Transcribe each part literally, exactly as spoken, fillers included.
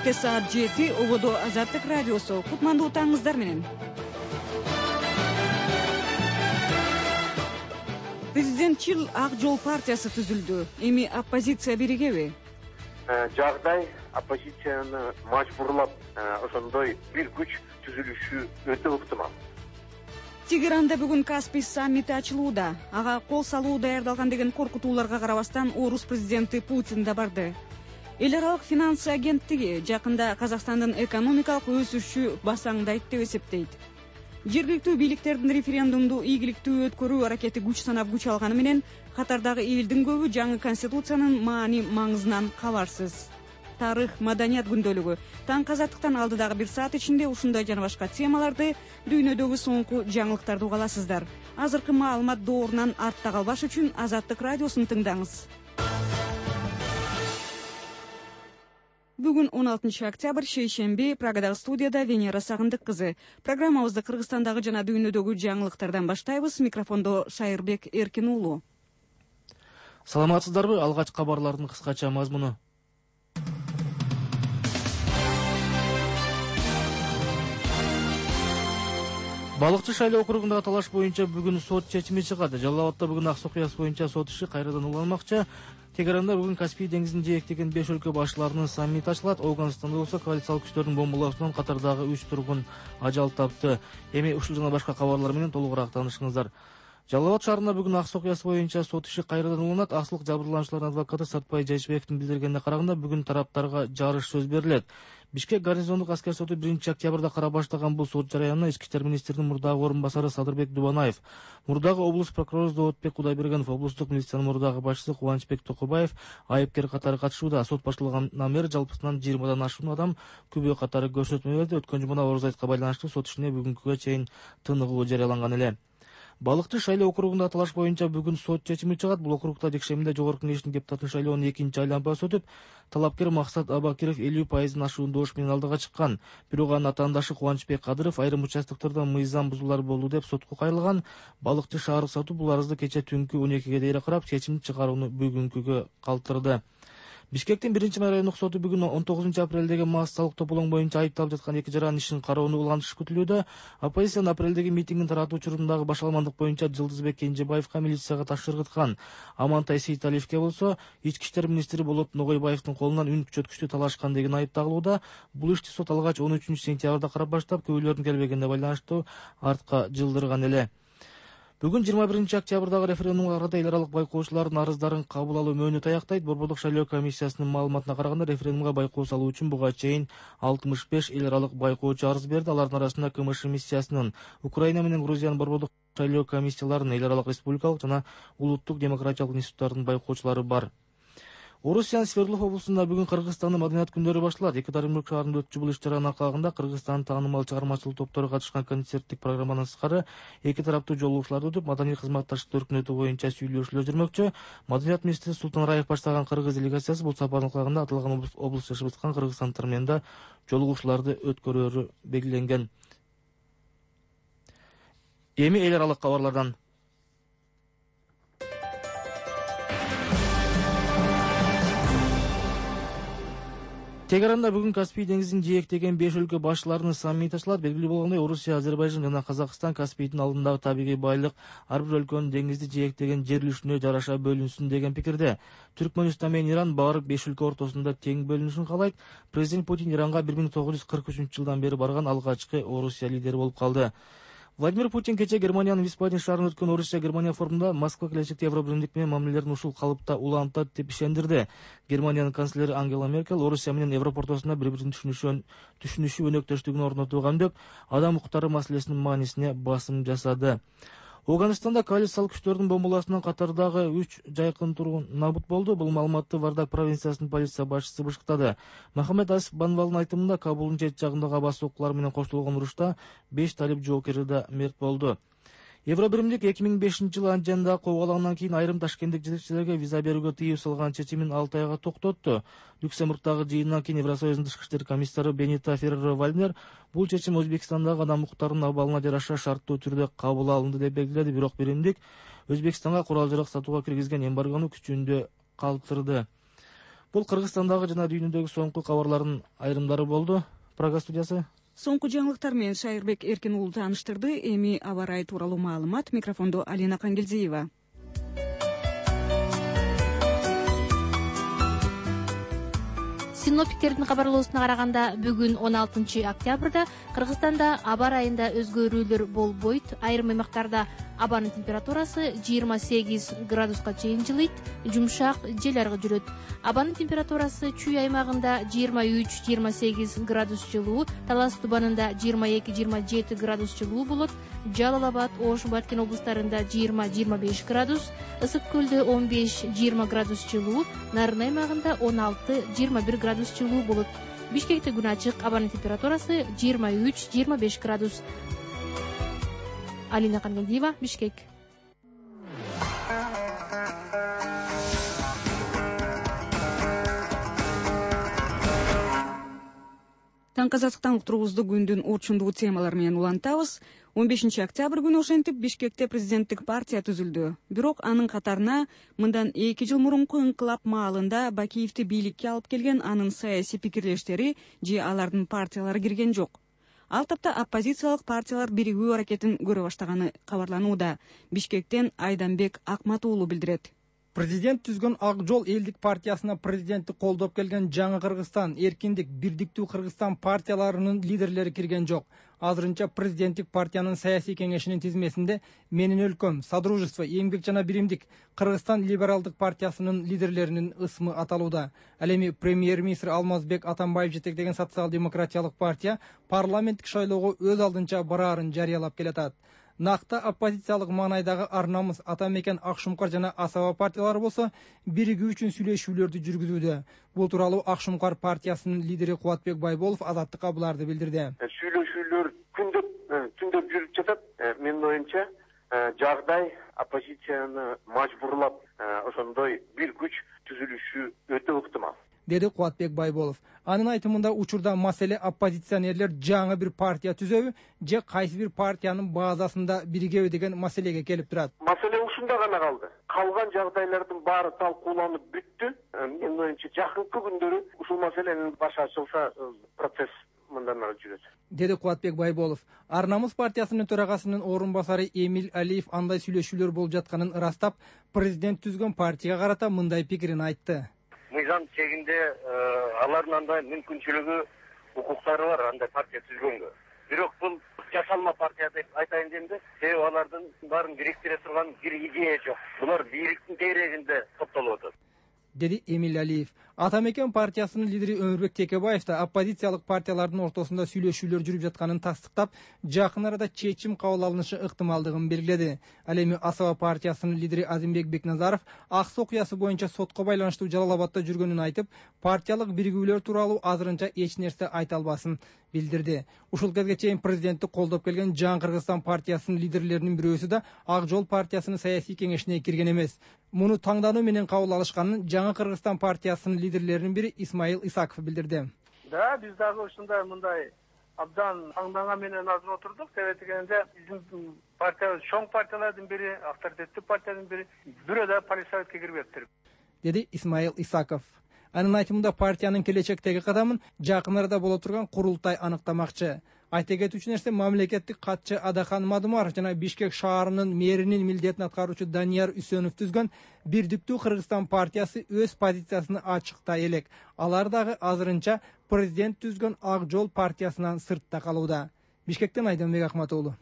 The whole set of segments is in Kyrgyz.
Кечке саат жети ободо Азаттык радиосу. Кутмандуу таңыңыздар менен. Президентчил Ак жол партиясы түзүлдү. Эми оппозиция биригеби? Жагдай оппозицияны мажбурлап ошондой бир күч түзүлүшү өтө ыктымал. Тегеранда бүгүн Каспий саммити ачылууда. Ага кол салуу даярдалган деген коркутууларга карабастан орус президенти Путин да барды. Эл аралык финансы агенттиги жакында Казакстандын экономикалык өсүшү басаңдайт деп эсептейт. Жергиликтүү бийликтердин референдумду ийгиликтүү өткөрүү аракети күч санап күч алганы менен катардагы элдин көбү жаңы конституциянын маани маңызынан кабарсыз. Тарых, маданият күндөлүгү таң казаттыктан алдыдагы бир саат ичинде ушундай жана башка темаларды, дүйнөдөгү соңку жаңылыктарды уга аласыздар. Азыркы маалымат доорунан артта калбаш үчүн Азаттык радиосун тыңдаңыз. Бүгүн он алтынчы октябрь, шейшемби, Прагадагы студияда Венера Сагындык кызы. Программабызды Кыргызстандагы жана дүйнөдөгү жаңылыктардан баштайбыз. Микрофондо Шайырбек Эркин уулу. Саламатсыздарбы? Алгач кабарлардын кыскача мазмуну. Балыкчы Шайлоо округундагы талаш боюнча бүгүн сот чечими чыгат. Жалал Абадта бүгүн ак окуяс боюнча сот иши кайрадан уланмакчы. Тегеранда бүгүн Каспий деңизин жээктеген беш өлкө башчыларынын саммити ачылат. Ауганстанда болсо коалициялык күчтөрдүн бомбалоосунан катардагы үч тургун ажал тапты. Эми ушул жана башка кабарлар менен толугураак таанышыңыздар. Жалал Абад шаарында бүгүн ак окуяс боюнча сот иши кайрадан уланат. Асылык жабырлануучулардын адвокаты Сатпай Жайшыбековдун билдиргенине караганда бүгүн тараптарга жарыш сөз берилет. Бишкек гарнизондук аскер соту биринчи октябрда карап баштаган бул сот жараянына ички иштер министринин мурдагы орун басары Садырбек Дубанаев, мурдагы облус прокурору Зоотбек Кудайбергенов, облустук милициянын мурдагы башчысы Кубанычбек Токубаев айыпкер катары катышууда. Сот башталгандан бери жалпысынан жыйырмадан ашуун адам күбө катары көрсөтмө берди. Өткөн жумада Орус айтка байланыштуу сот ишине бүгүнкүгө чейин тыныгуу жарыяланган эле. Балыкчы Шайлоо округунда талаш боюнча бүгүн сот чечими чыгат. Бул округда жекшембиде жогорку кеңештин депутатын шайлоонун экинчи айланмасы өтүп, талапкер Максат Абакиров элүү пайыздын ашуун добуш менен алдыга чыккан. Бирок анын атаандашы Кубанычбек Кадыров айрым участоктордо мыйзам бузуулар болду деп сотко кайрылган. Балыкчы шаардык соту бул арызды кече түнкү он экиге дейре карап, чечим чыгарууну бүгүнкүгө калтырды. Бишкектин биринчи райондук соту бүгүн он тогузунчу апрелдеги массалык тополоң боюнча айыпталып жаткан эки жаранын ишин кароону улантышы күтүлүүдө. Оппозициянын апрелдеги митингин таратуу учурундагы башаламандык боюнча Жылдызбек Кенжебаевка милицияга таш ыргыткан. Амантай Сейталиевке болсо ички иштер министри Болот Ногойбаевдин колунан үн күчөткүчтү талашкан деген айып тагылууда. Бул ишти сот алгач он үчүнчү сентябрда карап баштап, күбөлөрдүн келбегенине байланыштуу артка жылдырган эле. Бүгүн жыйырма биринчи октябрдагы референдумга карата эл аралык байкоочулардын арыздарын кабыл алуу мөөнөтү аяктайт. Борбордук шайлоо комиссиясынын маалыматына караганда референдумга байкоо салуу үчүн буга чейин алтымыш беш эл аралык байкоочу арыз берди. Алардын арасында КМШ миссиясынын, Украина менен Грузиянын борбордук шайлоо комиссияларынын, эл аралык республикалык жана улуттук демократиялык институттардын байкоочулары бар. Орусиянын Свердлов облусунда бүгүн Кыргызстандын маданият күндөрү башталат. Екатеринбург шаарында өтчү бул иш-чаранын аркалыгында Кыргызстандын таанымал чыгармачылык топтору катышкан концерттик программанын сырткары эки тараптуу жолугушууларды өтүп, маданий кызматташтык өркүнөтү боюнча сүйлөшүүлөр жүрмөкчү. Маданият министри Султан Раев баштаган кыргыз делегациясы бул сапардын кулагында аталган облус жашап аткан кыргызстандыктар менен да жолугушууларды өткөрөөрү белгиленген. Эми эл аралык кабарлардан. Тегеранда бүгүн Каспий деңизин жээктеген беш өлкө башчыларынын саммити ачылат. Белгилүү болгондой, Орусия, Азербайжан жана Казакстан Каспийдин алдындагы табигый байлык ар бир өлкөнүн деңизди жээктеген жер үлүшүнө жараша бөлүнсүн деген пикирде. Түркмөнстан менен Иран баардык беш өлкө ортосунда тең бөлүнүшүн каалайт. Президент Путин Иранга бир миң тогуз жүз кырк үчүнчү жылдан бери барган алгачкы Орусия лидери болуп калды. Владимир Путин кече Германиянын Висбаден шаарында өткөн Орусия-Германия форумунда Москва келечекте Евробиримдик менен мамилелерин ушул калыпта улантат деп ишендирди. Германиянын канцлери Ангела Меркель Орусия менен Европа ортосунда бири-бирин түшүнүшү өнөктөштүгүн орнотууга үндөп, адам укуктары маселесинин маанисине басым жасады. Ауганстанда коалициялык күчтөрдүн бомбалоосунан катардагы үч жайкын тургун набут болду. Бул маалыматты Вардак провинциясынын полиция башчысы бышыктады. Махамед Асиф Банвалдын айтымында, Кабулдун чет жагындагы аба соккулар менен коштолгон урушта беш талип жоокери да мерт болду. Евробиримдик эки миң бешинчи жылы Анжендагы кобголоңдон кийин айрым ташкенттик жетекчилерге виза берүүгө тыюу салган чечимин алты айга токтотту. Люксембургдагы жыйындан кийин Евросоюздун тышкы иштер комиссары Бенита Ферреро-Вальнер бул чечим Өзбекстандагы адам укуктарынын абалына жараша шарттуу түрдө кабыл алынды деп белгиледи. Бирок биримдик Өзбекстанга курал-жарак сатууга киргизген эмбаргону күчүндө калтырды. Бул Кыргызстандагы жана дүйнөдөгү соңку кабарлардын айрымдары болду. Прага студиясы. Соңку жаңылыктар менен Шайырбек Эркин уулу тааныштырды. Эми аба ырайы тууралуу маалымат. Микрофондо Алина Кангелдиева. Синоптиктердин кабарлоосуна караганда бүгүн он алтынчы октябрда Кыргызстанда аба ырайында өзгөрүүлөр болбойт. Айрым аймактарда абанын температурасы жыйырма сегиз градуска чейин жылыйт, жумшак жел аргы жүрөт. Абанын температурасы Чүй аймагында жыйырма үч жыйырма сегиз градус жылуу, Талас Тубанында жыйырма эки жыйырма жети градус жылуу болот. Жалал Абад, Ош, Баткен облустарында жыйырма жыйырма беш градус, Ысык көлдө он беш жыйырма градус жылуу, Нарын аймагында он алты жыйырма бир градус жылуу болот. Бишкекте күн ачык, абанын температурасы жыйырма үч жыйырма беш градус. Алина Кангелдиева, Бишкек. Таңкы азаттыктан уктуруубузду күндүн орчундуу темалары менен улантабыз. он бешинчи октябрь күнү ошентип Бишкекте президенттик партия түзүлдү. Бирок анын катарына мындан эки жыл мурунку инкылап маалында Бакиевди бийликке алып келген анын саясий пикирлештери же алардын партиялары кирген жок. Ал тапта оппозициялык партиялар биригүү аракетин көрө баштаганы кабарланууда. Бишкектен Айданбек Акмат уулу билдирет. Президент түзгөн Ак жол элдик партиясына президентти колдоп келген Жаңы Кыргызстан, Эркиндик, Бирдиктүү Кыргызстан партияларынын лидерлери кирген жок. Азырынча президенттик партиянын саясий кеңешинин тизмесинде Менин өлкөм, Содружество, Эмгек жана Биримдик, Кыргызстан либералдык партиясынын лидерлеринин ысмы аталууда. Ал эми премьер-министр Алмазбек Атамбаев жетектеген социал-демократиялык партия парламенттик шайлоого өз алдынча бараарын жарыялап келатат. Накта оппозициялык маанайдагы Ар намыс, Ата мекен, Ак шумкар жана Асаба партиялары болсо биригүү үчүн сүйлөшүүлөрдү жүргүзүүдө. Бул тууралуу Ак шумкар партиясынын лидери Кубатбек Байболов Азаттыкка буларды билдирди. Сүйлөшүүлөр күндөп түндөп жүрүп жатат. Менин оюмча жагдай оппозицияны мажбурлап ошондой бир күч түзүлүшү өтө ыктымал, деди Кубатбек Байболов. Анын айтымында учурда маселе оппозиционерлер жаңы бир партия түзөбү же кайсы бир партиянын базасында биригеби деген маселеге келип турат. Маселе ушунда гана калды. Калган жагдайлардын баары талкууланып бүттү. Менин оюмча жакынкы күндөрү ушул маселенин башы ачылса процесс мындан ары жүрөт, деди Кубатбек Байболов. Ар намыс партиясынын төрагасынын орун басары Эмиль Алиев андай сүйлөшүүлөр болуп жатканын ырастап, президент түзгөн партияга карата мындай пикирин айтты. Мыйзам чегинде алардын андай мүмкүнчүлүгү, укуктары бар андай партия түзгөнгө. Бирок бул жасалма партия деп айтайын дегенде, себеби алардын баарын бириктире турган бир идея жок. Булар бийликтин тегерегинде топтолуп атат, деди Эмиль Алиев. Ата мекен партиясынын лидери Өмүрбек Текебаев да оппозициялык партиялардын ортосунда сүйлөшүүлөр жүрүп жатканын тастыктап, жакын арада чечим кабыл алынышы ыктымалдыгын белгиледи. Ал эми Асаба партиясынын лидери Азимбек Бекназаров Ак суу окуясы боюнча сотко байланыштуу Жалал Абадда жүргөнүн айтып, партиялык биригүүлөр тууралуу азырынча эч нерсе айта албасын билдирди. Ушул кезге чейин президентти колдоп келген Жаңы Кыргызстан партиясынын лидерлеринин бирөөсү да Ак жол партиясынын саясий кеңешине кирген эмес. Муну таңдануу менен кабыл алышканын Жаңы Кыргызстан партиясынын лидерлеринин бири Исмаил Исаков билдирди. Да, биз дагы ушундай мындай абдан таңданган менен азыр отурдук. Себеби дегенде биздин партия чоң партиялардын бири, авторитеттүү партиянын бири бирөө да партия советке кирбептир, деди Исмаил Исаков. Анын айтымында партиянын келечектеги кадамын жакын арада боло турган курултай аныктамакчы. Айта кетүүчү нерсе, мамлекеттик катчы Адахан Мадумаров жана Бишкек шаарынын мэринин милдетин аткаруучу Данияр Үсөнов түзгөн Бирдиктүү Кыргызстан партиясы өз позициясын ачыктай элек. Алар дагы азырынча президент түзгөн Ак жол партиясынан сыртта калууда. Бишкектен Айданбек Акмат уулу.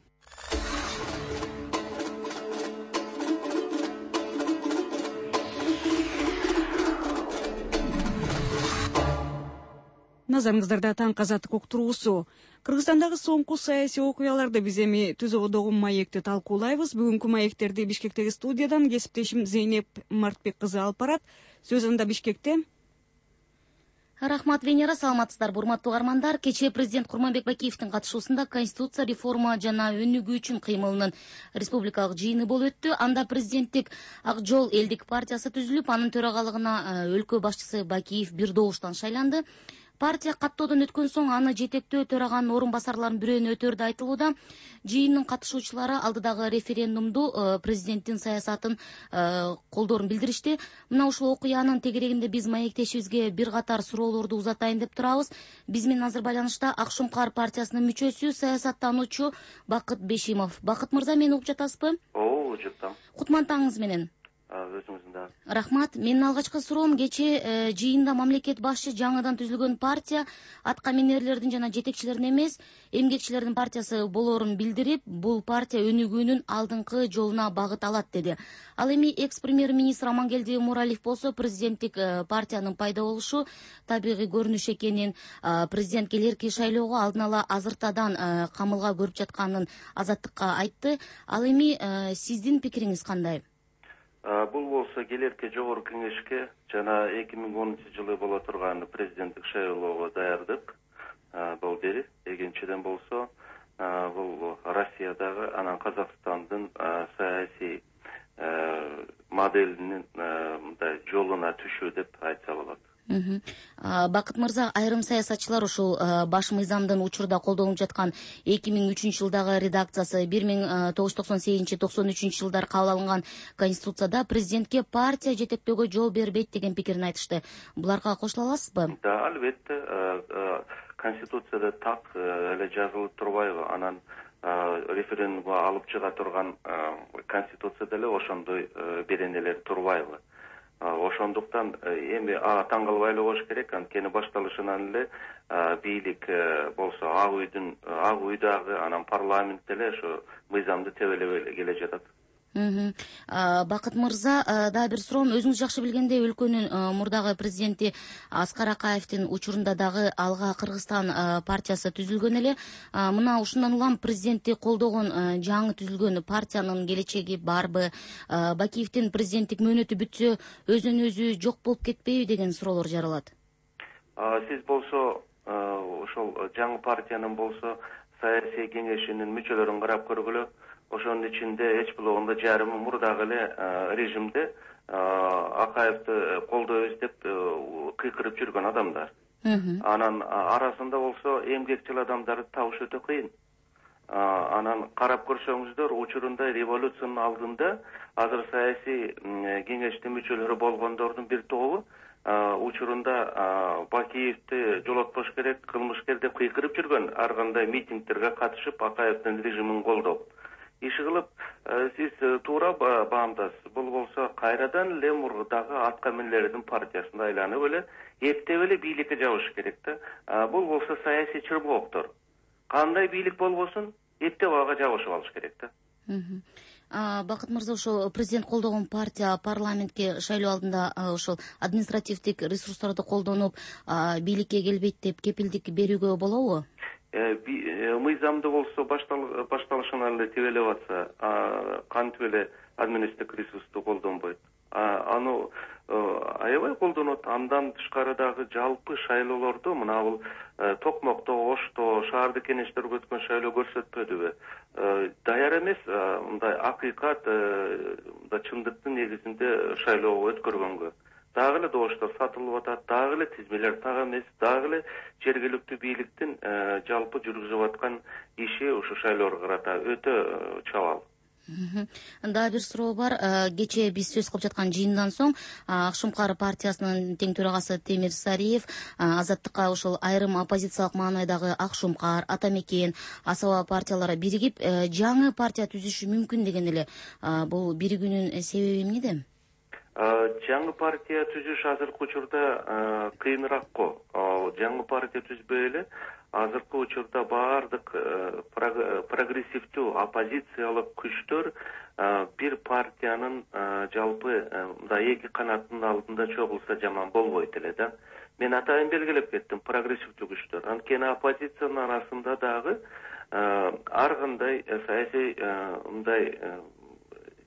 Назарыңыздарда таңкы азаттык уктуруусу. Кыргызстандагы соңку саясий окуяларды биз эми түзөгөдөгү маекти талкуулайбыз. Бүгүнкү маектерди Бишкектеги студиядан кесиптешим Зейнеп Мартбек кызы алып барат. Сөз анда Бишкекте. Рахмат, Венера, саламатсыздарбы, урматтуу угармандар. Кечээ президент Курманбек Бакиевдин катышуусунда конституция реформа жана өнүгүү үчүн кыймылынын республикалык жыйыны болуп өттү. Анда президенттик Ак жол элдик партиясы түзүлүп, анын төрагалыгына өлкө башчысы Бакиев бир добуштан шайланды. партия каттоодон өткөн соң аны жетектөө төраганын орун басарларынын бирөөнү өтөрдү айтылууда. Жыйындын катышуучулары алдыдагы референдумду президенттин саясатын колдоорун билдиришти. Мына ушул окуянын тегерегинде биз маектешибизге бир катар суроолорду узатайын деп турабыз. Биз менен азыр байланышта Ак Шумкар партиясынын мүчөсү, саясаттануучу Бакыт Бешимов. Бакыт мырза, мени угуп жатасызбы? Ооба, жатам. Кутмантаңыз менен. Өзүңүздүн да. Рахмат. Менин алгачкы суроом, кечээ жыйында мамлекет башчы жаңыдан түзүлгөн партия атка минерлердин жана жетекчилердин эмес, эмгекчилердин партиясы болоорун билдирип, бул партия өнүгүүнүн алдыңкы жолуна багыт алат деди. Ал эми экс-премьер-министр Амангелди Муралиев болсо президенттик партиянын пайда болушу табигый көрүнүш экенин, президент келерки шайлоого алдын ала азыртадан камылга көрүп жатканын Азаттыкка айтты. Ал эми сиздин пикириңиз кандай? Бул болсо келерки жогорку кеңешке жана эки миң онунчу жылы боло турган президенттик шайлоого даярдык болду. Экинчиден болсо бул Россиядагы анан Казакстандын саясий моделинин мындай жолуна түшүү деп айтса болот. Бакыт мырза, айрым саясатчылар ушул баш мыйзамдын учурда колдонулуп жаткан эки миң үчүнчү жылдагы редакциясы бир миң тогуз жүз токсон сегизинчи токсон үчүнчү жылдары кабыл алынган конституцияда президентке партия жетектөөгө жол бербейт деген пикирин айтышты. Буларга кошула аласызбы? Да, албетте. Конституцияда так эле жазылып турбайбы? Анан референдумга алып чыга турган конституция деле ошондой беренелер турбайбы? Ошондуктан эми таң калбай эле коюш керек. Анткени башталышынан эле бийлик болсо ак үйдүн ак үйдагы анан парламент деле ошо мыйзамды тебелеп келе жатат. Бакыт мырза, дагы бир суроом. Өзүңүз жакшы билгендей, өлкөнүн мурдагы президенти Аскар Акаевдин учурунда дагы Алга Кыргызстан партиясы түзүлгөн эле. Мына ушундан улам президентти колдогон жаңы түзүлгөн партиянын келечеги барбы? Бакиевдин президенттик мөөнөтү бүтсө, өзүнөн өзү жок болуп кетпейби деген суроолор жаралат. Сиз болсо ошол жаңы партиянын болсо саясий кеңешинин мүчөлөрүн карап көргүлө. Ошонун ичинде эч болгондо жарымы мурдагы эле режимде Акаевди колдойбуз деп кыйкырып жүргөн адамдар. Анан арасында болсо эмгекчил адамдарды табыш өтө кыйын. Анан карап көрсөңүздөр, учурунда революциянын алдында азыр саясий кеңештин мүчөлөрү болгондордун бир тобу учурунда Бакиевди жолотпош керек, кылмышкер деп кыйкырып жүргөн, ар кандай митингдерге катышып Акаевдин режимин колдоп. Иш кылып, сиз туура баамдасыз. Бул болсо кайрадан эле мурдагы атка минерлердин партиясына айланып эле эптеп эле бийликке жабыш керек да. Бул болсо саясий чырбооктор. Кандай бийлик болбосун, эптеп ага жабышып алыш керек да. Бакыт мырза, ошо президент колдогон партия парламентке шайлоо алдында ошол административдик ресурстарды колдонуп бийликке келбейт деп кепилдик берүүгө болобу? Мыйзамды болсо башталышынан эле тебелеп атса, кантип эле административдик ресурсту колдонбойт. Аны аябай колдонот. Андан тышкары дагы жалпы шайлоолордо мына бул Токмокто, Ошто, шаардык кеңештерге өткөн шайлоо көрсөтпөдүбү? Даяр эмес, мындай акыйкат, чындыктын негизинде шайлоо өткөргөнгө. Дагы эле добуштар сатылып атат, дагы эле тизмелер так эмес, дагы эле жергиликтүү бийликтин жалпы жүргүзүп аткан иши ушу шайлоого карата өтө чабал. Дагы бир суроо бар. Кечээ биз сөз кылып жаткан жыйындан соң Ак Шумкар партиясынын тең төрагасы Темир Сариев Азаттыкка ошол айрым оппозициялык маанайдагы Ак Шумкар, Ата Мекен, Асаба партиялары биригип жаңы партия түзүшү мүмкүн деген эле. Бул биригүүнүн себеби эмнеде? Жаңы партия түзүш азыркы учурда кыйыныраак го. Жаңы партия түзбөй эле азыркы учурда баардык прогрессивдүү оппозициялык күчтөр бир партиянын жалпы мындай эки канаттын алдында чогулса жаман болбойт эле да. Мен атайын белгилеп кеттим, прогрессивдүү күчтөр. Анткени оппозициянын арасында дагы ар кандай саясий мындай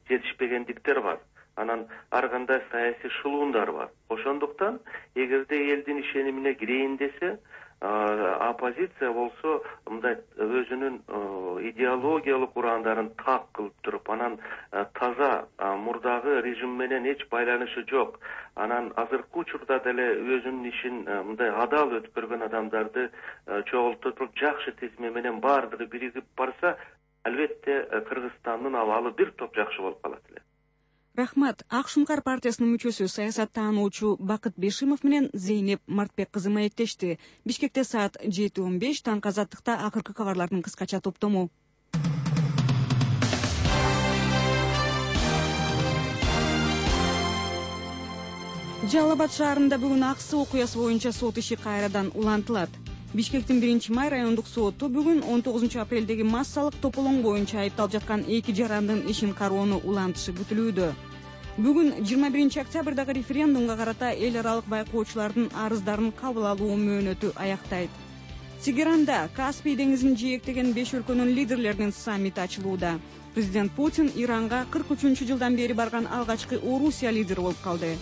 жетишпегендиктер бар. Анан ар кандай саясий шылуундар бар. Ошо ошондуктан эгерде элдин ишенимине кирейин десе, оппозиция болсо мындай өзүнүн идеологиялык урандарын так кылып туруп, анан таза мурдагы режим менен эч байланышы жок, анан азыркы учурда деле өзүнүн ишин мындай адал өткөргөн адамдарды чогултуп туруп жакшы тизме менен баардыгы биригип барса, албетте Кыргызстандын абалы бир топ жакшы болуп калат эле. Рахмат. Ак Шуңкар партиясынын мүчөсү саясаттануучу Бакыт Бешимов менен Зейнеп Мартбек кызы маектешти. Бишкекте саат жети он беш, таңкы азаттыкта акыркы кабарлардын кыскача топтому. Жалал Абад шаарында бүгүн аксы окуясы боюнча сот иши кайрадан улантылат. Бишкектин биринчи май райондук соту бүгүн он тогузунчу апрелдеги массалык тополоң боюнча айыпталып жаткан эки жарандын ишин кароону улантышы күтүлүүдө. Бүгүн жыйырма биринчи октябрдагы референдумга карата эл аралык байкоочулардын арыздарын кабыл алуу мөөнөтү аяктайт. Тегеранда Каспий деңизин жээктеген беш өлкөнүн лидерлеринин саммити ачылууда. Президент Путин Иранга кырк үчүнчү жылдан бери барган алгачкы Орусия лидери болуп калды.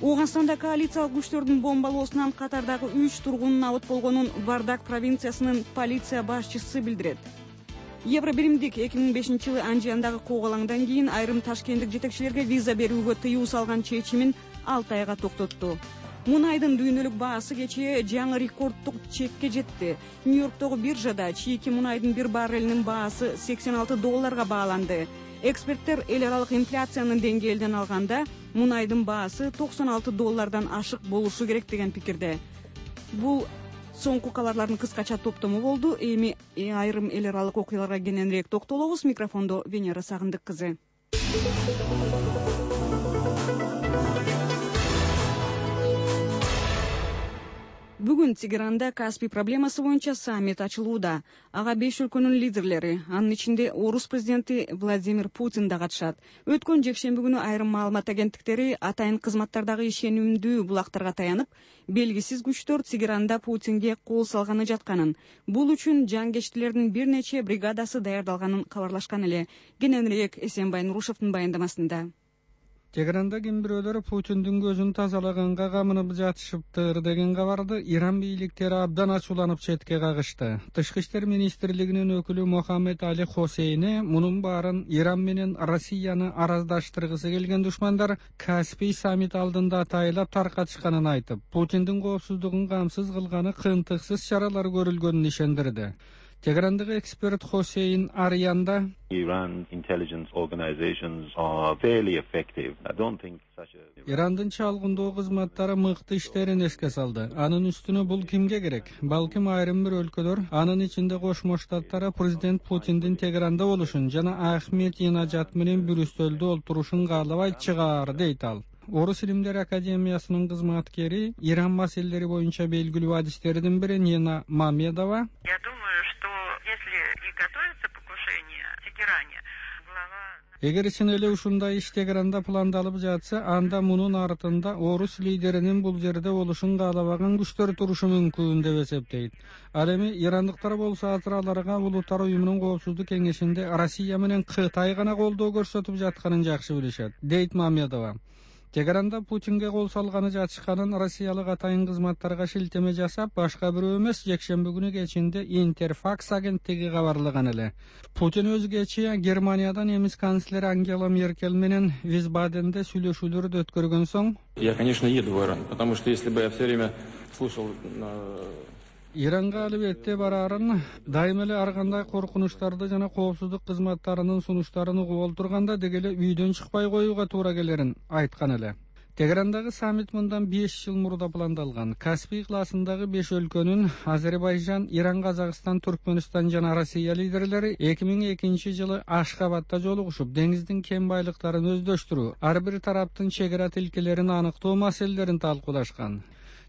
Ооганстанда коалициялык күчтөрдүн бомбалоосунан катардагы үч тургундун абыт болгонун Вардак провинциясынын полиция башчысы билдирет. Евробиримдик эки миң бешинчи жылы Анжияндагы коогалаңдан кийин айрым ташкенттик жетекчилерге виза берүүгө тыюу салган чечимин алты айга токтотту. Мунайдын дүйнөлүк баасы кечээ жаңы рекордтук чекке жетти. Нью-Йорктогу биржада чийки мунайдын бир баррелинин баасы сексен алты долларга бааланды. Эксперттер эл аралык инфляциянын деңгээлинен алганда мунайдын баасы токсон алты доллардан ашык болушу керек деген пикирде. Бул соңку кабарлардын кыскача топтому болду. Эми айрым эл аралык окуяларга кененирээк токтолобуз. Микрофондо Венера Сагындык кызы. Бүгүн Тегеранда Каспий проблемасы боюнча саммит ачылууда. Ага беш өлкөнүн лидерлери, анын ичинде Орус президенти Владимир Путин да катышат. Өткөн жекшемби күнү айрым маалымат агенттиктери атайын кызматтардагы ишенимдүү булактарга таянып, белгисиз күчтөр Тегеранда Путинге кол салганы жатканын, бул үчүн жангечтилердин бир нече бригадасы даярдалганын кабарлашкан эле. Кененирээк Эсенбай Нурушевдин баяндамасында. Тегеранда ким бирөөлөр Путиндин көзүн тазалаганга камынып жатышыптыр деген кабарды Иран бийликтери абдан ачууланып четке кагышты. Тышкы иштер министрлигинин өкүлү Мохаммед Али Хосейни мунун баарын Иран менен Россияны араздаштыргысы келген душмандар Каспий саммит алдында атайлап таркатышканын айтып, Путиндин коопсуздугун камсыз кылганы кыйынтыксыз чаралар көрүлгөнүн ишендирди. Тегерандагы эксперт Хосейн Арьянда Iran intelligence organizations are fairly effective. I don't think such a Ирандын чалгындоо кызматтары мыкты иштерин эске салды. Анын үстүнө бул кимге керек? Балким айрым бир өлкөлөр, анын ичинде Кошмо Штаттары президент Путиндин Тегеранда болушун жана Ахмединежад менен бир үстөлдө олтурушун каалабайт чыгаар, дейт ал. Орус илимдери академиясынын кызматкери, Иран маселелери боюнча белгилүү адистердин бири Нина Мамедова. Я думаю, что если и готовится покушение в Тегеране, глава... Эгер чын эле ушундай иш Тегеранда пландалып жатса, анда мунун артында Орус лидеринин бул жерде болушун каалабаган күчтөр турушу мүмкүн деп эсептейт. Ал эми ирандыктар болсо азыр аларга Улуттар уюмунун коопсуздук кеңешинде Россия менен Кытай гана колдоо көрсөтүп жатканын жакшы билишет, дейт Мамедова. Тегеранда Путинге кол салганы жатышканын россиялык атайын кызматтарга шилтеме жасап, башка бирөө эмес, жекшемби күнү кечинде Интерфакс агенттиги кабарлаган эле. Путин өзгече Германиядан немис канцлери Ангела Меркель менен Висбаденде сүйлөшүүлөрдү өткөргөн соң, я, конечно, еду в Иран, потому что если бы я все время слушал Иранга албетте барарын, дайым эле ар кандай коркунучтарды жана коопсуздук кызматтарынын сунуштарын угуп олтурганда дегеле үйдөн чыкпай коюуга туура келерин айткан эле. Тегерандагы саммит мындан беш жыл мурда пландалган. Каспий классындагы беш өлкөнүн Азербайжан, Иран, Казакстан, Түркмөнстан жана Россия лидерлери эки миң экинчи жылы Ашхабадда жолугушуп, деңиздин кен байлыктарын өздөштүрүү, ар бир тараптын чек ара тилкелерин аныктоо маселелерин талкуулашкан.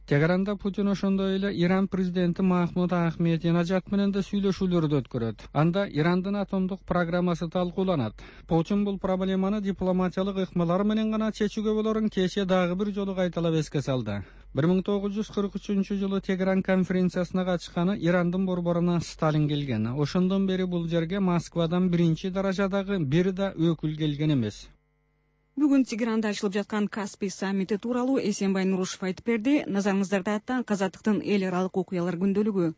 Тегеранда Путин ошондой эле Иран президенти Махмуд Ахмединежад менен да сүйлөшүүлөрдү өткөрөт. Анда Ирандын атомдук программасы талкууланат. Путин бул проблеманы дипломатиялык ыкмалар менен гана чечүүгө болорун кечээ дагы бир жолу кайталап эске салды. бир миң тогуз жүз кырк үчүнчү жылы Тегеран конференциясына катышканы Ирандын борборуна Сталин келген. Ошондон бери бул жерге Москвадан биринчи даражадагы бир да өкүл келген эмес. бүгүн Тегеранда ачылып жаткан Каспий саммити тууралуу Эсенбай Нурушев айтып берди. Назарыңыздарда таң Казактын эл аралык окуялар күндөлүгү.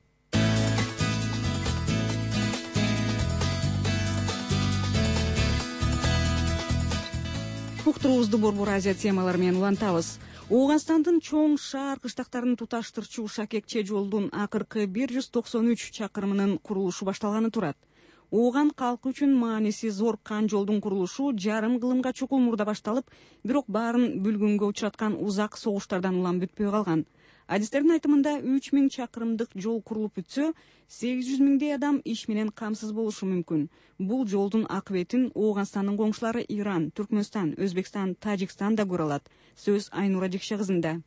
Уктуруубузду Борбор Азия темалары менен улантабыз. Ооганстандын чоң шаар кыштактарын туташтырчу Шакекче жолдун акыркы бир жүз токсон үч чакырымынын курулушу башталганы турат. Ооган калкы үчүн мааниси зор кан жолдун курулушу жарым кылымга чукул мурда башталып, бирок баарын бүлгүнгө учраткан узак согуштардан улам бүтпөй калган. Адистердин айтымында үч миң чакырымдык жол курулуп бүтсө, сегиз жүз миңдей адам иш менен камсыз болушу мүмкүн. Бул жолдун акыбетин Ооганстандын коңшулары Иран, Түркмөнстан, Өзбекстан, Тажикстан да көрө алат. Сөз Айнура Жекше кызында.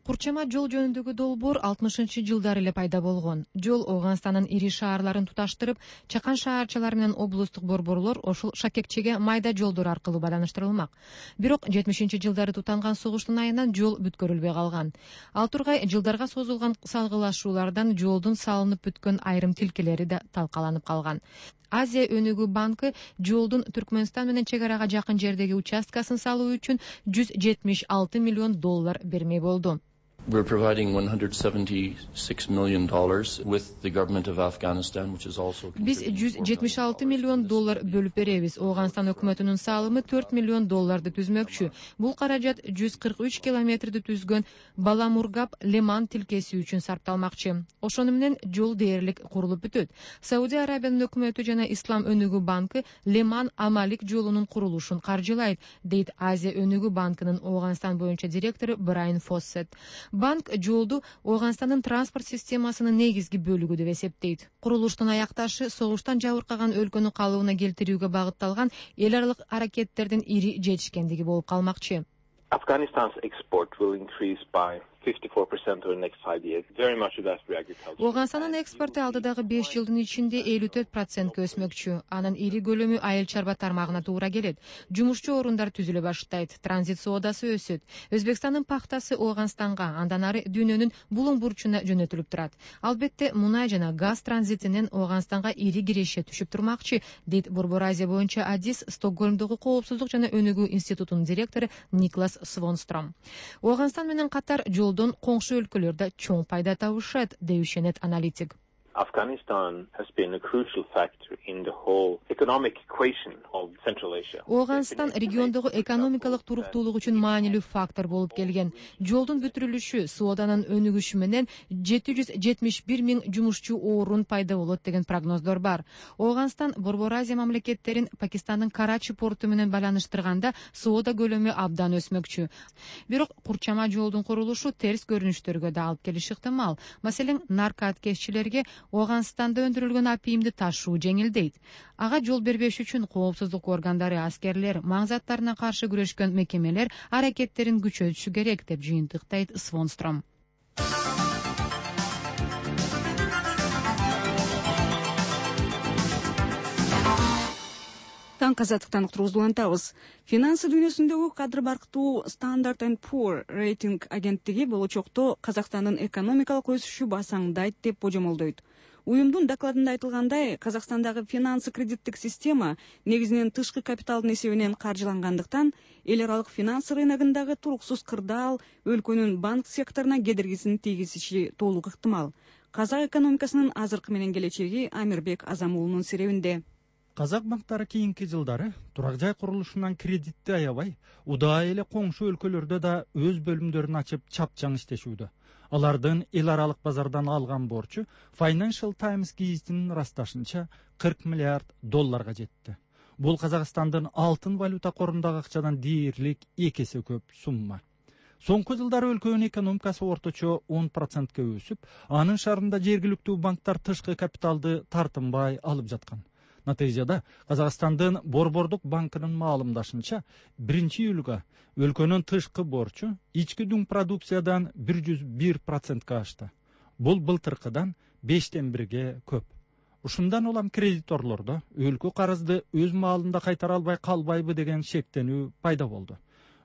Курчама жол жөнүндөгү долбоор алтымышынчы жылдары эле пайда болгон. Жол Ооганстандын ири шаарларын туташтырып, чакан шаарчалар менен облустук борборлор ошол Шакекчеге майда жолдор аркылуу байланыштырылмак. Бирок жетимишинчи жылдары тутанган согуштун айынан жол бүткөрүлбөй калган. Ал тургай жылдарга созулган салгылашуулардан жолдун салынып бүткөн айрым тилкелери да талкаланып калган. Азия өнүгүү банкы жолдун Түркмөнстан менен чек арага жакын жердеги участкасын салуу үчүн жүз жетимиш алты миллион доллар бермей болду. We're providing one hundred seventy-six million dollars with the government of Afghanistan, which is also Биз жүз жетимиш алты миллион доллар бөлүп беребиз. Ооганстан өкмөтүнүн салымы төрт миллион долларды түзмөкчү. Бул каражат жүз кырк үч километрди түзгөн Баламургап Леман тилкеси үчүн сарпталмакчы. Ошону менен жол дээрлик курулуп бүтөт. Саудия Арабиянын өкмөтү жана Ислам өнүгүү банкы Леман Амалик жолунун курулушун каржылайт, дейт Азия өнүгүү банкынын Ооганстан боюнча директору Брайан Фоссет. Банк жолду Ооганстандын транспорт системасынын негизги бөлүгү деп эсептейт. Курулуштун аякташы согуштан жабыркаган өлкөнү калыбына келтирүүгө багытталган эл аралык аракеттердин ири жетишкендиги болуп калмакчы. Afghanistan's export will increase by fifty-four percent over the next five years. Very much of that for agriculture. Ооганстандын экспорту алдыдагы беш жылдын ичинде элүү төрт процентке өсмөкчү. Анын ири көлөмү айыл чарба тармагына туура келет. Жумушчу орундар түзүлө баштайт. Транзит соодасы өсөт. Өзбекстандын пахтасы Ооганстанга, андан ары дүйнөнүн булуң бурчуна жөнөтүлүп турат. Албетте, мунай жана газ транзитинен Ооганстанга ири киреше түшүп турмакчы, дейт Борбор Азия боюнча адис Стокгольмдогу коопсуздук жана өнүгүү институтунун директору Никлас Свонстром. Ооганстан менен катар жолдон коңшу өлкөлөрдө чоң пайда табышат, деюшенет аналитик. Afghanistan has been a crucial factor in the whole economic equation of Central Asia. Ооганстан региондогу экономикалык туруктуулук үчүн маанилүү фактор болуп келген. Жолдун бүтүрүлүшү, сооданын өнүгүшү менен жети жүз жетимиш бир миң жумушчу орун пайда болот деген прогноздор бар. Ооганстан Борбор Азия мамлекеттерин Пакистандын Карачи порту менен байланыштырганда соода көлөмү абдан өсмөкчү. Бирок курчама жолдун курулушу терс көрүнүштөргө да алып келиши ыктымал. Маселен, наркоаткезчилерге Ооганстанда өндүрүлгөн апийимди ташуу жеңилдейт. Ага жол бербеш үчүн коопсуздук органдары, аскерлер, маң заттарына каршы күрөшкөн мекемелер аракеттерин күчөтүшү керек, деп жыйынтыктайт Свонстром. Таң Казактыктан уктуруубузду улантабыз. Финансы дүйнөсүндөгү кадыр барктуу Standard and Poor рейтинг агенттиги болочокто Казакстандын экономикалык өсүшү басаңдайт деп божомолдойт. Уюмдун докладында айтылгандай, Казакстандагы финансы кредиттик система негизинен тышкы капиталдын эсебинен каржылангандыктан, эл аралык финансы рыногундагы туруксуз кырдаал өлкөнүн банк секторуна кедергисин тийгизиши толук ыктымал. Казак экономикасынын азыркы менен келечеги Амирбек Азамуулунун серебинде. Казак банктары кийинки жылдары турак жай курулушунан кредитти аябай, удаай эле коңшу өлкөлөрдө да өз бөлүмдөрүн ачып чапчаң иштешүүдө. Алардын эл аралык базардан алган борчу Financial Times гезитинин ырасташынча кырк миллиард долларга жетти. Бул Казакстандын алтын валюта корундагы акчадан дээрлик эки эсе көп сумма. Соңку жылдары өлкөнүн экономикасы орточо он процентке өсүп, анын шарында жергиликтүү банктар тышкы капиталды тартынбай алып жаткан. Натыйжада Казакстандын Борбордук банкынын маалымдашынча биринчи июлга өлкөнүн тышкы борчу ички дүң продукциядан бир жүз бир процентке ашты. Бул былтыркыдан бештен бирге көп. Ушундан улам кредиторлордо өлкө карызды өз маалында кайтара албай калбайбы деген шектенүү пайда болду.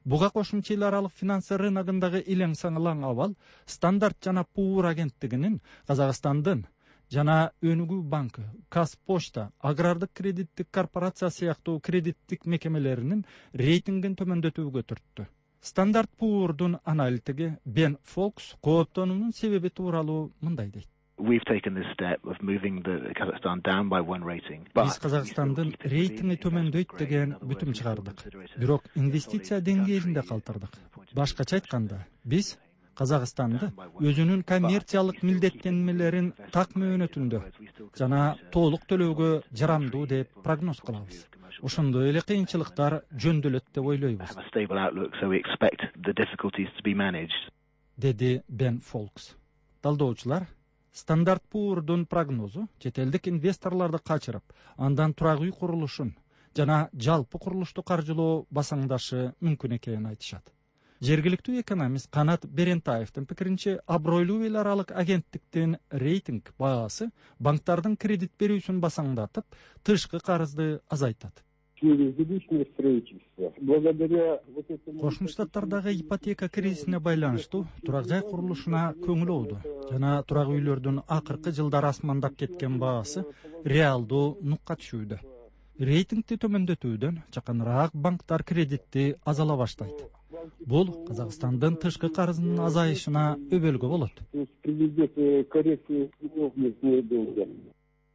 Буга кошумча эл аралык финансы рыногундагы илең саңылаң абал Standard жана Poor агенттигинин Казакстандын жана Өнүгүү банкы, Казпочта, агрардык кредиттик корпорация сыяктуу кредиттик мекемелеринин рейтингин төмөндөтүүгө түрттү. Стандарт Poor'дун аналитиги Бен Фолкс кооптонуунун себеби тууралуу мындай дейт. We've taken this step of moving the Kazakhstan down by one rating. Биз Казакстандын рейтинги төмөндөйт деген бүтүм чыгардык. Бирок инвестиция деңгээлинде калтырдык. Башкача айтканда, биз Казакстанды өзүнүн коммерциялык милдеттенмелерин так мөөнөтүндө жана толук төлөөгө жарамдуу деп прогноз кылабыз. Ошондой эле кыйынчылыктар жөндөөлөт деп ойлойбуз, деди Бен Фолкс. Талдоочулар Стандарт Poor'дун прогнозу чет элдик инвесторлорду качырып, андан турак үй курулушун жана жалпы курулушту каржылоо басаңдашы мүмкүн экенин айтышат. Жергиликтүү экономист Канат Берентаевдин пикиринче, абройлуу эл аралык агенттиктин рейтинг баасы банктардын кредит берүүсүн басаңдатып, тышкы карызды азайтат. Кошмо Штаттардагы ипотека кризисине байланыштуу турак жай курулушуна көңүл оолду жана турак үйлөрдүн акыркы жылдары асмандап кеткен баасы реалдуу нукка түшүүдө. Рейтингди төмөндөтүүдөн жакыныраак банктар кредитти азала баштайт. Бул Казакстандын тышкы карызынын азайышына өбөлгө болот,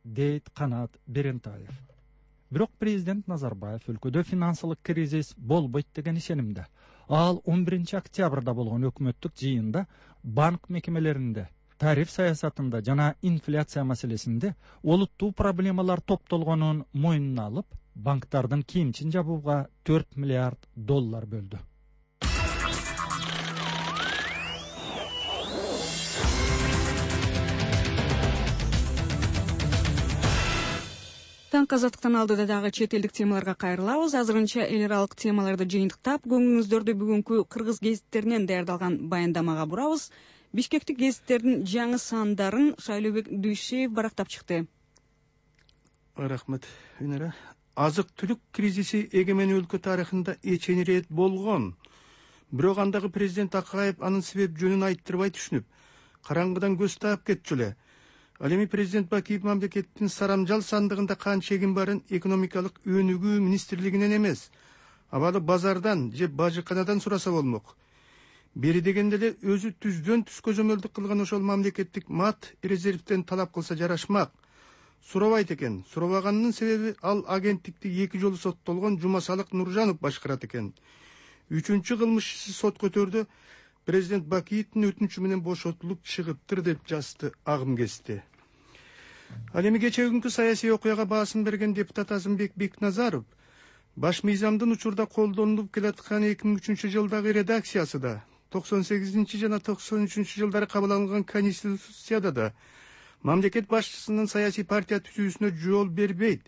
дейт Канат Берентаев. Бирок президент Назарбаев өлкөдө финансылык кризис болбойт деген ишенимде. Ал он биринчи октябрда болгон өкмөттүк жыйында банк мекемелеринде, тариф саясатында жана инфляция маселесинде олуттуу проблемалар топтолгонун мойнуна алып, банктардын кийимчин жабууга төрт миллиард доллар бөлдү. Таң казаттыктан алдыда дагы чет элдик темаларга кайрылабыз. Азырынча эл аралык темаларды жыйынтыктап, көңүлүңүздөрдү бүгүнкү кыргыз гезиттеринен даярдалган баяндамага бурабыз. Бишкектик гезиттердин жаңы сандарын Шайлообек Дүйшеев барактап чыкты. Рахмат, Үнара. Азык-түлүк кризиси эгемен өлкө тарыхында эчени рет болгон. Бирок андагы президент Акаев анын себеп жөнүн айттырбай түшүнүп, караңгыдан көз таап кетчү эле. Ал эми президент Бакиев мамлекеттин сарамжал сандыгында канча эгин барын экономикалык өнүгүү министрлигинен эмес, абалы базардан же бажыканадан сураса болмок. Бери дегенде эле өзү түздөн түз көзөмөлдүк кылган ошол мамлекеттик мат резервден талап кылса жарашмак. Сурабайт экен. Сурабаганынын себеби ал агенттикти эки жолу соттолгон Жумасалык Нуржанов башкарат экен. Үчүнчү кылмыш иши сот көтөрдү. Президент Бакиевдин өтүнүчү менен бошотулуп чыгыптыр деп жазды Агым Кести. Ал эми кечээ күнкү саясий окуяга баасын берген депутат Азымбек Бекназаров баш мыйзамдын учурда колдонулуп келаткан эки миң үчүнчү жылдагы редакциясы да, токсон сегизинчи жана токсон үчүнчү жылдары кабыл алынган конституцияда да мамлекет башчысынын саясий партия түзүүсүнө жол бербейт.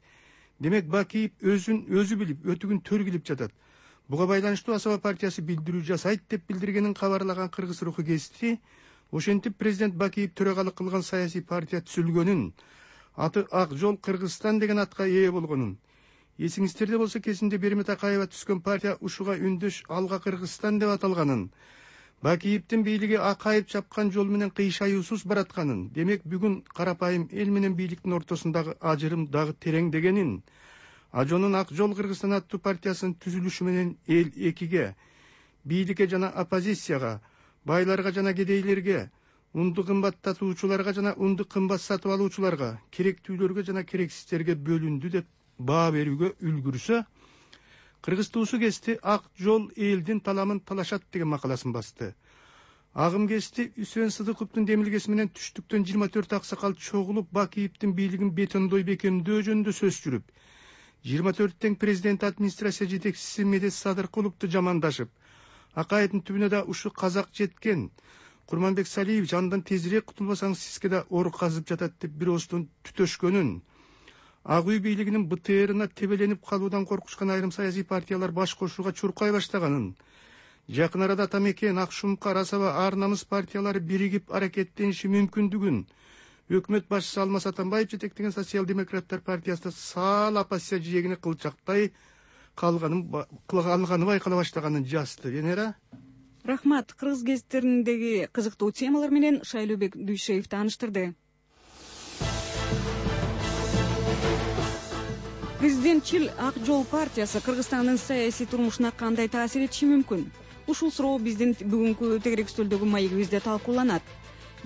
Демек Бакиев өзүн өзү билип, өтүгүн төргилип жатат. Буга байланыштуу Асаба партиясы билдирүү жасайт деп билдиргенин кабарлаган Кыргыз руху гезити ошентип президент Бакиев төрагалык кылган саясий партия түзүлгөнүн, аты Ак жол Кыргызстан деген атка ээ болгонун, эсиңиздерде болсо кезинде Бермет Акаева түзгөн партия ушуга үндөш Алга Кыргызстан деп аталганын, Бакиевдин бийлиги Акаев чапкан жол менен кыйшаюусуз баратканын, демек бүгүн карапайым эл менен бийликтин ортосундагы ажырым дагы тереңдегенин, Ажонун Ак жол Кыргызстан аттуу партиясынын түзүлүшү менен эл экиге, бийликке жана оппозицияга, байларга жана кедейлерге, унду кымбаттатуучуларга жана унду кымбат сатып алуучуларга, керектүүлөргө жана керексиздерге бөлүндү деп баа берүүгө үлгүрсө, Кыргыз туусу Кести Ак жол элдин таламын талашат деген макаласын басты. Агым Кести Үсен Сыдыковдун демилгеси менен түштүктөн жыйырма төрт аксакал чогулуп Бакиевдин бийлигин бетондой бекемдөө жөнүндө сөз жүрүп, жыйырма төрт тең президент администрация жетекчиси Медет Садыркуловду жамандашып, Акаевдин түбүнө да ушу казак жеткен, Курманбек Салиевич андан тезирээк кутулбасаңыз сизге да ор казып жатат деп бир ооздон түтөшкөнүн, Ак үй бийлигинин Бэ Тэ Эрине тебеленип калуудан коркушкан айрым саясий партиялар баш кошууга чуркай баштаганын, жакын арада Атамекен, Ак Шумкар, Асаба, Ар Намыс партиялары биригип аракеттениши мүмкүндүгүн өкмөт башчысы Алмаз Атамбаев жетектеген социал-демократтар партиясында саал оппозиция жээгине кылчактай калганын кылганы байкала баштаганын жазды. Венера. Рахмат. Кыргыз гезиттериндеги кызыктуу темалар менен Шайлообек Дүйшеев тааныштырды. Президентчил Ак жол партиясы Кыргызстандын саясий турмушуна кандай таасир этиши мүмкүн? Ушул суроо биздин бүгүнкү тегерек стөлдөгү маегибизде талкууланат.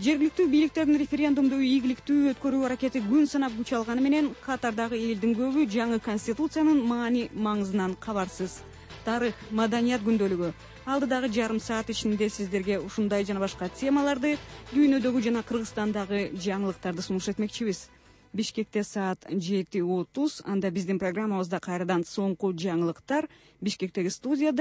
Жергиликтүү бийликтердин референдумду ийгиликтүү өткөрүү аракети күн санап күч алганы менен катардагы элдин көбү жаңы конституциянын маани маңызынан кабарсыз. Тарых, маданият күндөлүгү алдыдагы жарым саат ичинде сиздерге ушундай жана башка темаларды, дүйнөдөгү жана Кыргызстандагы жаңылыктарды сунуш этмекчибиз. Бишкекте саат жети отуз, анда биздин программабызда кайрадан соңку жаңылыктар Бишкектеги студияда